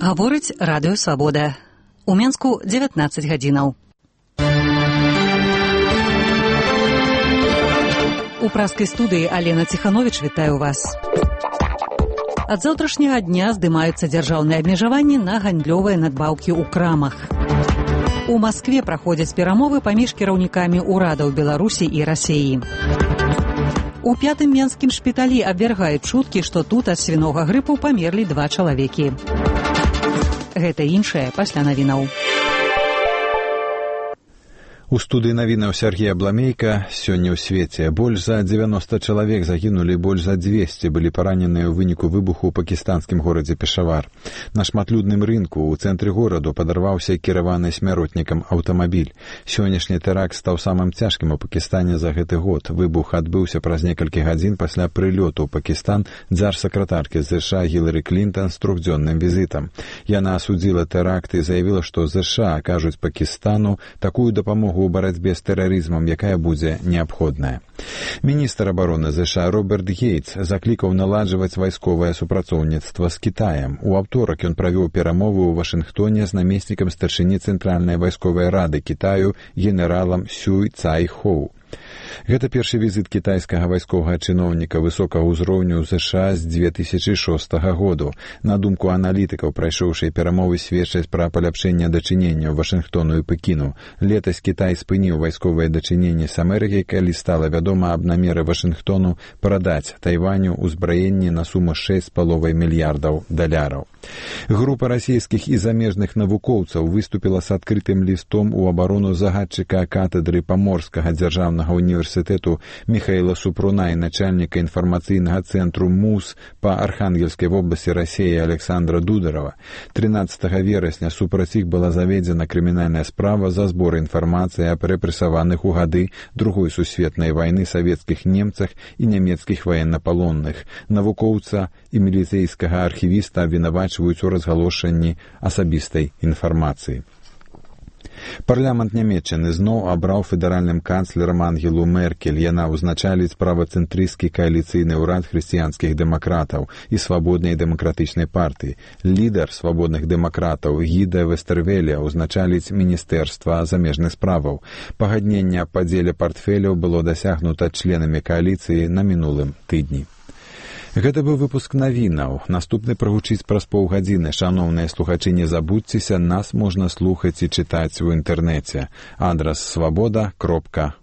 Гаворыць радыё «Свабода». У Менску 19 гадзінаў. У праскай студыі Алена Ціхановіч вітаю вас. Ад заўтрашняга дня здымаюцца дзяржаўныя абмежаванні на гандлёвыя надбаўкі ў крамах. У Маскве праходзяць перамовы паміж кіраўнікамі ўрадаў Беларусі і Расіі. У 5-м менскім шпіталі абвяргаюць чуткі, што тут ад свінога грыпу памерлі 2 чалавекі. Гэта іншае пасля навінаў. У студыі навінаў Сергей Абламейка. Сёння ў свеце больш за 90 чалавек загінулі, больш за 200 былі параненыя ў выніку выбуху ў пакістанскім горадзе Пешавар. На шматлюдным рынку ў цэнтры гораду падарваўся кіраваны смяротнікам аўтамабіль. Сённяшні тэракт стаў самым цяжкім у Пакістане за гэты год. Выбух адбыўся праз некалькі гадзін пасля прылёту ў Пакістан дзяржсакратаркі ЗША Гілары Клінтан з 3-дзённым візітам. Яна асудзіла тэракт і заявіла, што ЗША акажуць Пакістану такую дапамогу у барацьбе з тэрарызмам, якая будзе неабходная. Міністр абароны ЗША Роберт Гейтс заклікаў наладжваць вайсковае супрацоўніцтва з Кітаем. У аўторак ён правёў перамовы ў Вашынгтоне з намеснікам старшыні Цэнтральнай вайсковай рады Кітаю генералам Сюй Цай Хоу. Гэта першы візіт кітайскага вайсковага чыноўніка высокага ўзроўню ў ЗША з 2006 году. На думку аналітыкаў, прайшоўшыя перамовы сведчаць пра паляпшэнне дачынення Вашынгтону і Пекіну. Летась Кітай спыніў вайсковыя дачыненні з Амерыкай, калі стала вядома аб намеры Вашынгтону прадаць Тайваню ўзбраенні на суму $6,5 мільярдаў. Група расійскіх і замежных навукоўцаў выступіла з адкрытым лістом у абарону загадчыка катедры Паморскага дзяржаўнага універсітэту Міхаіла Супруна і начальніка інфармацыйнага цэнтру МУС па Архангельскай вобласці Расіі Александра Дударова. 13 верасня супраць іх была заведзена крымінальная справа за збор інфармацыі аб рэпрэсаваных у гады Другой сусветнай вайны савецкіх немцах і нямецкіх ваеннапалонных. Навукоўца і міліцэйскага архівіста абвінавачваюць у разгалошанні асабістай інфармацыі. Парламент Нямецчыны зноў абраў федэральным канцлерам Ангелу Меркель. Яна ўзначаліць правацэнтрысцкі кааліцыйны ўрад хрысціянскіх дэмакратаў і свабоднай дэмакратычнай партыі. Лідар свабодных дэмакратаў Гіда Вестэрвеля ўзначаліць міністэрства замежных справаў. Пагадненне аб падзеле партфеляў было дасягнута членамі кааліцыі на мінулым тыдні. Гэта быў выпуск навінаў. Наступны прагучыць праз паўгадзіны. Шаноўныя слухачы, не забудзьцеся, нас можна слухаць і чытаць у інтэрнэце. Адрас свабода.орг.